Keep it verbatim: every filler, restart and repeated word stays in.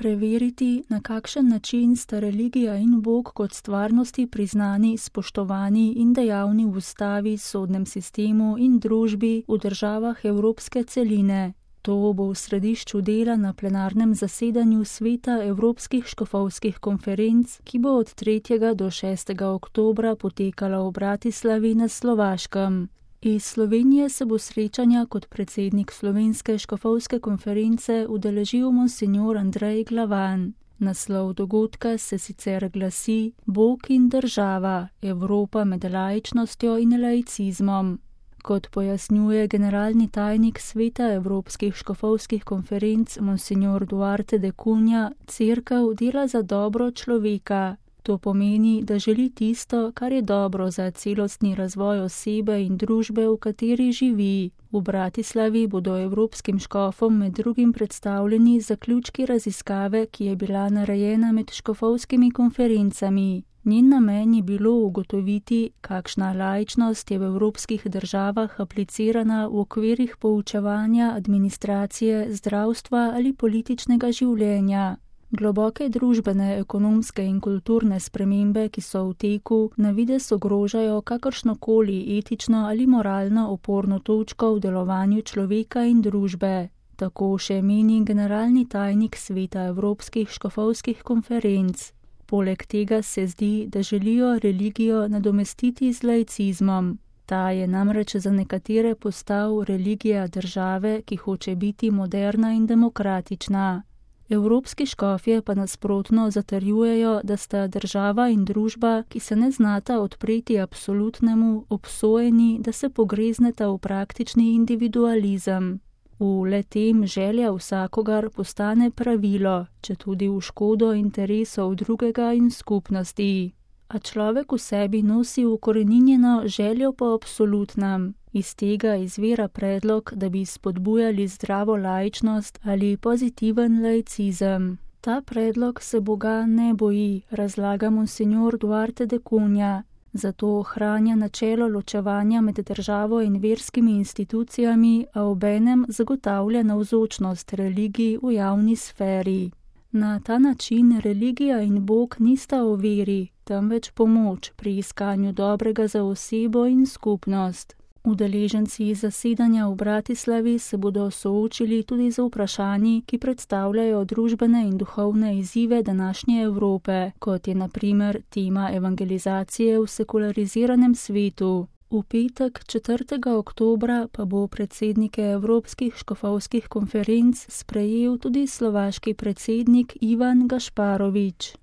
preveriti, na kakšen način sta religija in Bog kot stvarnosti priznani, spoštovani in dejavni v ustavi, sodnem sistemu in družbi v državah evropske celine. To bo v središču dela na plenarnem zasedanju Sveta evropskih škofovskih konferenc, ki bo od tretjega do šestega oktobra potekala v Bratislavi na Slovaškem. Iz Slovenije se bo srečanja kot predsednik Slovenske škofovske konference udeležil monsinjor Andrej Glavan. Naslov dogodka se sicer glasi Bog in država, Evropa med laičnostjo in laicizmom. Kot pojasnjuje generalni tajnik Sveta evropskih škofovskih konferenc monsinjor Duarte de Cunha, cerkev dela za dobro človeka. To pomeni, da želi tisto, kar je dobro za celostni razvoj osebe in družbe, v kateri živi. V Bratislavi bodo evropskim škofom med drugim predstavljeni zaključki raziskave, ki je bila narejena med škofovskimi konferencami. Njen namen je bilo ugotoviti, kakšna laičnost je v evropskih državah aplicirana v okvirih poučevanja, administracije, zdravstva ali političnega življenja. Globoke družbene, ekonomske in kulturne spremembe, ki so v teku, na videz ogrožajo kakršnokoli etično ali moralno oporno točko v delovanju človeka in družbe. Tako še meni generalni tajnik Sveta evropskih škofovskih konferenc. Poleg tega se zdi, da želijo religijo nadomestiti z laicizmom. Ta je namreč za nekatere postal religija države, ki hoče biti moderna in demokratična. Evropski škofje pa nasprotno zatrjujejo, da sta država in družba, ki se ne znata odpreti absolutnemu, obsojeni, da se pogrezneta v praktični individualizem. V le-tem želja vsakogar postane pravilo, četudi v škodo interesov drugega in skupnosti. A človek v sebi nosi ukoreninjeno željo po absolutnem. Iz tega izvira predlog, da bi spodbujali zdravo laičnost ali pozitiven laicizem. Ta predlog se Boga ne boji, razlaga monsinjor Duarte de Cunha. Zato ohranja načelo ločevanja med državo in verskimi institucijami, a obenem zagotavlja navzočnost religiji v javni sferi. Na ta način religija in Bog nista o veri, temveč pomoč pri iskanju dobrega za osebo in skupnost. Udeleženci zasedanja v Bratislavi se bodo soočili tudi z vprašanji, ki predstavljajo družbene in duhovne izzive današnje Evrope, kot je na primer tema evangelizacije v sekulariziranem svetu. V petek četrtega oktobra pa bo predsednike evropskih škofovskih konferenc sprejel tudi slovaški predsednik Ivan Gašparovič.